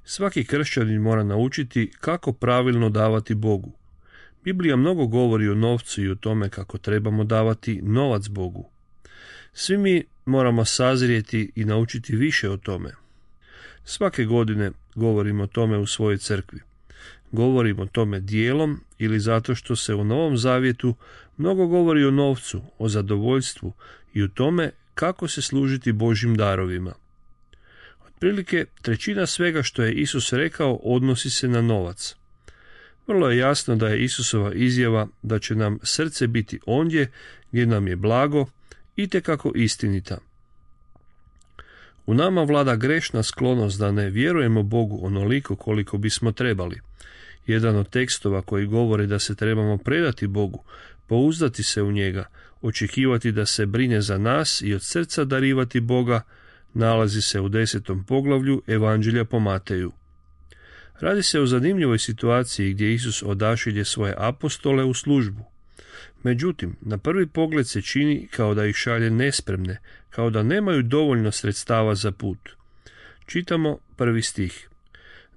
Svaki kršćanin mora naučiti kako pravilno davati Bogu. Biblija mnogo govori o novcu i o tome kako trebamo davati novac Bogu. Svi mi moramo sazrijeti i naučiti više o tome. Svake godine govorim o tome u svojoj crkvi. Govorim o tome dijelom ili zato što se u Novom Zavjetu mnogo govori o novcu, o zadovoljstvu i o tome kako se služiti Božjim darovima. Otprilike 1/3 svega što je Isus rekao odnosi se na novac. Vrlo je jasno da je Isusova izjava da će nam srce biti ondje gdje nam je blago itekako istinita. U nama vlada grešna sklonost da ne vjerujemo Bogu onoliko koliko bismo trebali. Jedan od tekstova koji govori da se trebamo predati Bogu, pouzdati se u njega, očekivati da se brine za nas i od srca darivati Boga, nalazi se u 10. poglavlju Evanđelja po Mateju. Radi se o zanimljivoj situaciji gdje Isus odašilje svoje apostole u službu. Međutim, na prvi pogled se čini kao da ih šalje nespremne, kao da nemaju dovoljno sredstava za put. Čitamo 1. stih.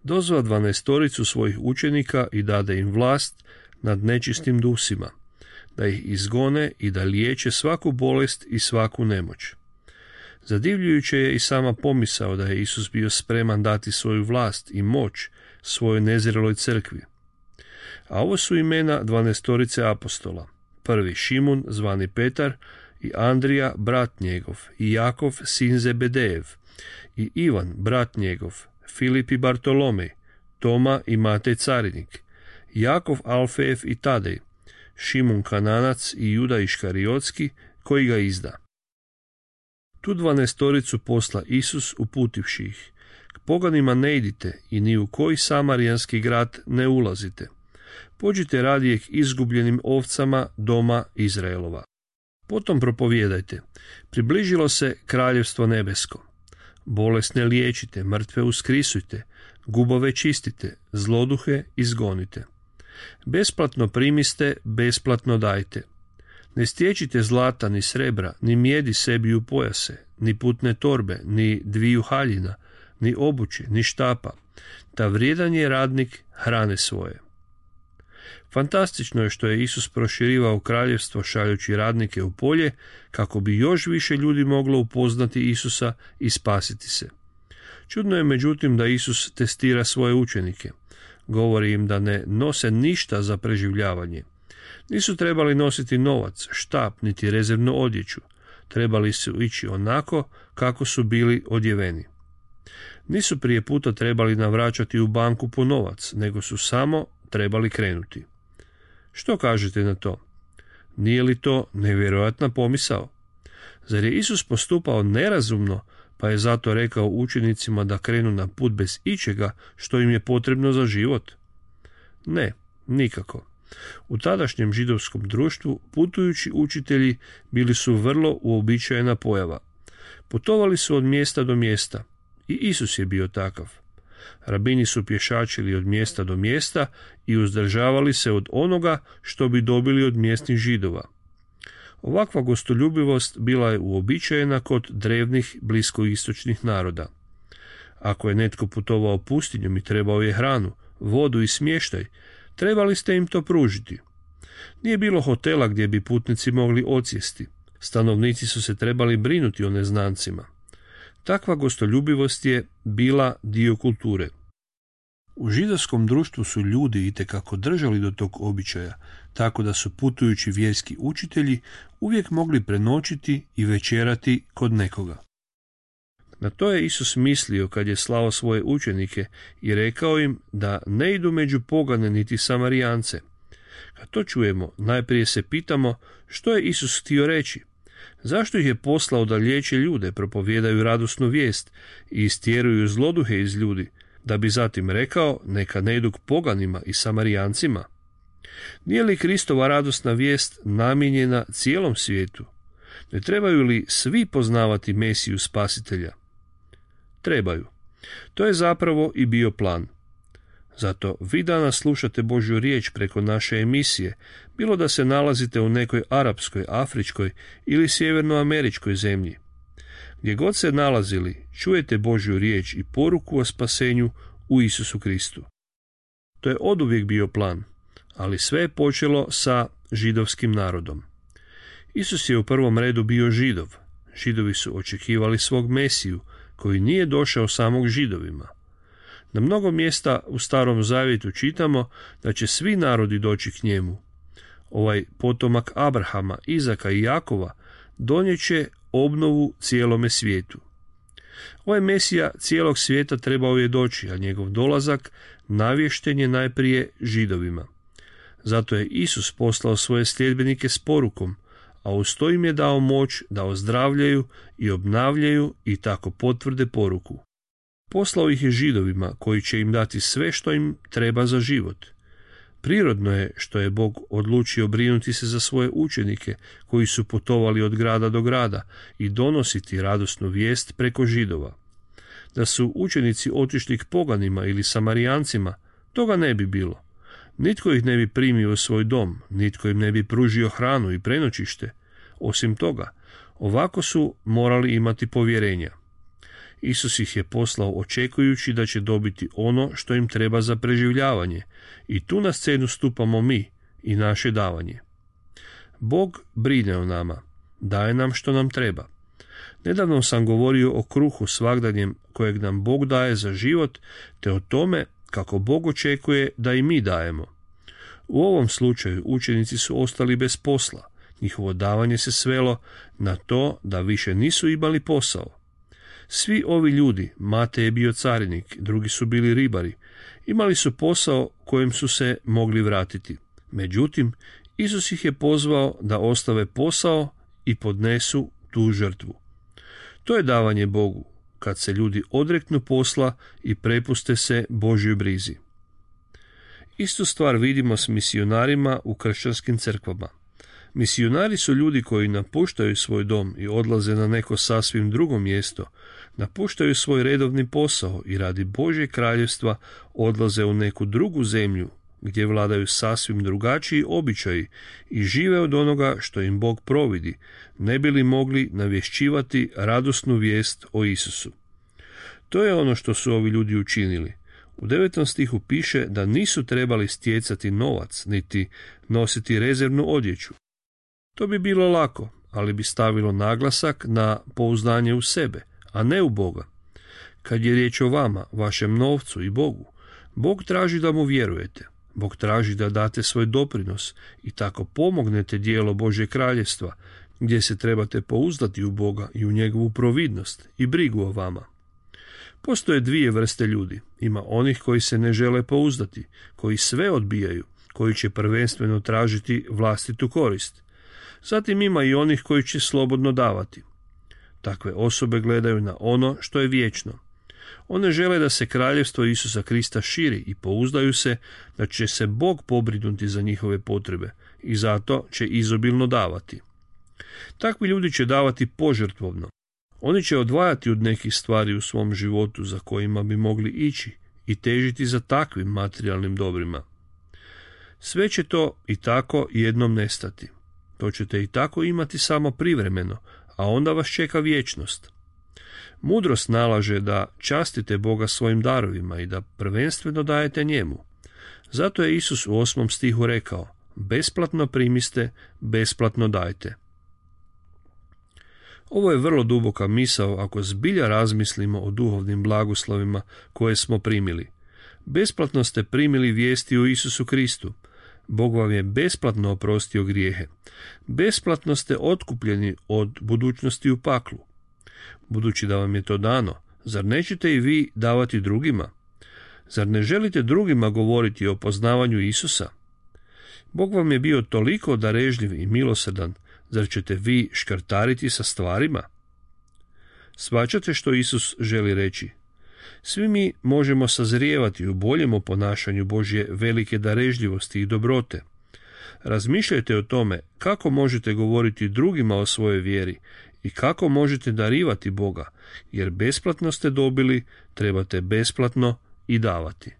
Dozva 12 svojih učenika i dade im vlast nad nečistim dusima, da ih izgone i da liječe svaku bolest i svaku nemoć. Zadivljujuće je i sama pomisao da je Isus bio spreman dati svoju vlast i moć svojoj nezreloj crkvi. A ovo su imena 12 apostola. Prvi Šimun, zvani Petar, i Andrija, brat njegov, i Jakov, sin Zebedejev, i Ivan, brat njegov, Filip i Bartolomej, Toma i Matej carinik, Jakov Alfejev i Tadej, Šimun Kananac i Juda Iškariotski, koji ga izda. Tu 12 posla Isus uputivši ih. K poganima ne idite i ni u koji samarijanski grad ne ulazite. Pođite radije k izgubljenim ovcama doma Izraelova. Potom propovijedajte, približilo se kraljevstvo nebesko. Bolesne liječite, mrtve uskrisujte, gubove čistite, zloduhe izgonite. Besplatno primiste, besplatno dajte. Ne stječite zlata ni srebra, ni mijedi sebi u pojase, ni putne torbe, ni 2 haljina, ni obuće, ni štapa. Ta vrijedan je radnik hrane svoje. Fantastično je što je Isus proširivao kraljevstvo šaljući radnike u polje kako bi još više ljudi moglo upoznati Isusa i spasiti se. Čudno je međutim da Isus testira svoje učenike. Govori im da ne nose ništa za preživljavanje. Nisu trebali nositi novac, štap, niti rezervnu odjeću. Trebali su ići onako kako su bili odjeveni. Nisu prije puta trebali navraćati u banku po novac, nego su samo trebali krenuti. Što kažete na to? Nije li to nevjerojatna pomisao? Zar je Isus postupao nerazumno, pa je zato rekao učenicima da krenu na put bez ičega što im je potrebno za život? Ne, nikako. U tadašnjem židovskom društvu putujući učitelji bili su vrlo uobičajena pojava. Putovali su od mjesta do mjesta i Isus je bio takav. Rabini su pješačili od mjesta do mjesta i uzdržavali se od onoga što bi dobili od mjesnih Židova. Ovakva gostoljubivost bila je uobičajena kod drevnih bliskoistočnih naroda. Ako je netko putovao pustinjom i trebao je hranu, vodu i smještaj, trebali ste im to pružiti. Nije bilo hotela gdje bi putnici mogli odsjesti. Stanovnici su se trebali brinuti o neznancima. Takva gostoljubivost je bila dio kulture. U židovskom društvu su ljudi itekako držali do tog običaja, tako da su putujući vjerski učitelji uvijek mogli prenoćiti i večerati kod nekoga. Na to je Isus mislio kad je slao svoje učenike i rekao im da ne idu među pogane niti Samarijance. Kad to čujemo, najprije se pitamo što je Isus htio reći. Zašto ih je poslao da liječe ljude, propovijedaju radosnu vijest i istjeruju zloduhe iz ljudi, da bi zatim rekao neka ne idu k poganima i Samarijancima? Nije li Kristova radosna vijest namijenjena cijelom svijetu? Ne trebaju li svi poznavati Mesiju Spasitelja? Trebaju. To je zapravo i bio plan. Zato vi danas slušate Božju riječ preko naše emisije, bilo da se nalazite u nekoj arapskoj, afričkoj ili sjevernoameričkoj zemlji. Gdje god se nalazili, čujete Božju riječ i poruku o spasenju u Isusu Kristu. To je oduvijek bio plan, ali sve je počelo sa židovskim narodom. Isus je u prvom redu bio Židov. Židovi su očekivali svog Mesiju, koji nije došao samog Židovima. Na mnogo mjesta u Starom Zavjetu čitamo da će svi narodi doći k njemu. Ovaj potomak Abrahama, Izaka i Jakova donijeće obnovu cijelome svijetu. Ovaj Mesija cijelog svijeta trebao je doći, a njegov dolazak navješten je najprije Židovima. Zato je Isus poslao svoje sljedbenike s porukom, a uz to im je dao moć da ozdravljaju i obnavljaju i tako potvrde poruku. Poslao ih je Židovima, koji će im dati sve što im treba za život. Prirodno je što je Bog odlučio brinuti se za svoje učenike, koji su putovali od grada do grada i donositi radosnu vijest preko Židova. Da su učenici otišli k poganima ili Samarijancima, toga ne bi bilo. Nitko ih ne bi primio u svoj dom, nitko im ne bi pružio hranu i prenoćište. Osim toga, ovako su morali imati povjerenja. Isus ih je poslao očekujući da će dobiti ono što im treba za preživljavanje, i tu na scenu stupamo mi i naše davanje. Bog brine o nama, daje nam što nam treba. Nedavno sam govorio o kruhu svagdanjem kojeg nam Bog daje za život, te o tome kako Bog očekuje da i mi dajemo. U ovom slučaju učenici su ostali bez posla. Njihovo davanje se svelo na to da više nisu imali posao. Svi ovi ljudi, Matej je bio carinik, drugi su bili ribari, imali su posao kojem su se mogli vratiti. Međutim, Isus ih je pozvao da ostave posao i podnesu tu žrtvu. To je davanje Bogu, kad se ljudi odreknu posla i prepuste se Božjoj brizi. Istu stvar vidimo s misionarima u kršćanskim crkvama. Misionari su ljudi koji napuštaju svoj dom i odlaze na neko sasvim drugo mjesto, napuštaju svoj redovni posao i radi Božjeg kraljevstva odlaze u neku drugu zemlju gdje vladaju sasvim drugačiji običaji i žive od onoga što im Bog providi, ne bi li mogli navješćivati radosnu vijest o Isusu. To je ono što su ovi ljudi učinili. U 9. stihu piše da nisu trebali stjecati novac, niti nositi rezervnu odjeću. To bi bilo lako, ali bi stavilo naglasak na pouzdanje u sebe, a ne u Boga. Kad je riječ o vama, vašem novcu i Bogu, Bog traži da mu vjerujete. Bog traži da date svoj doprinos i tako pomognete dijelo Božje kraljevstva, gdje se trebate pouzdati u Boga i u njegovu providnost i brigu o vama. Postoje dvije vrste ljudi. Ima onih koji se ne žele pouzdati, koji sve odbijaju, koji će prvenstveno tražiti vlastitu korist. Zatim ima i onih koji će slobodno davati. Takve osobe gledaju na ono što je vječno. One žele da se kraljevstvo Isusa Krista širi i pouzdaju se da će se Bog pobrinuti za njihove potrebe i zato će izobilno davati. Takvi ljudi će davati požrtvovno. Oni će odvajati od nekih stvari u svom životu za kojima bi mogli ići i težiti za takvim materijalnim dobrima. Sve će to i tako jednom nestati. To ćete i tako imati samo privremeno, a onda vas čeka vječnost. Mudrost nalaže da častite Boga svojim darovima i da prvenstveno dajete njemu. Zato je Isus u 8. stihu rekao: besplatno primiste, besplatno dajte. Ovo je vrlo duboka misao ako zbilja razmislimo o duhovnim blagoslovima koje smo primili. Besplatno ste primili vijesti o Isusu Kristu. Bog vam je besplatno oprostio grijehe. Besplatno ste otkupljeni od budućnosti u paklu. Budući da vam je to dano, zar nećete i vi davati drugima? Zar ne želite drugima govoriti o poznavanju Isusa? Bog vam je bio toliko darežljiv i milosrdan, zar ćete vi škrtariti sa stvarima? Shvaćate što Isus želi reći? Svi mi možemo sazrijevati u boljem ponašanju Božje velike darežljivosti i dobrote. Razmišljajte o tome kako možete govoriti drugima o svojoj vjeri i kako možete darivati Boga, jer besplatno ste dobili, trebate besplatno i davati.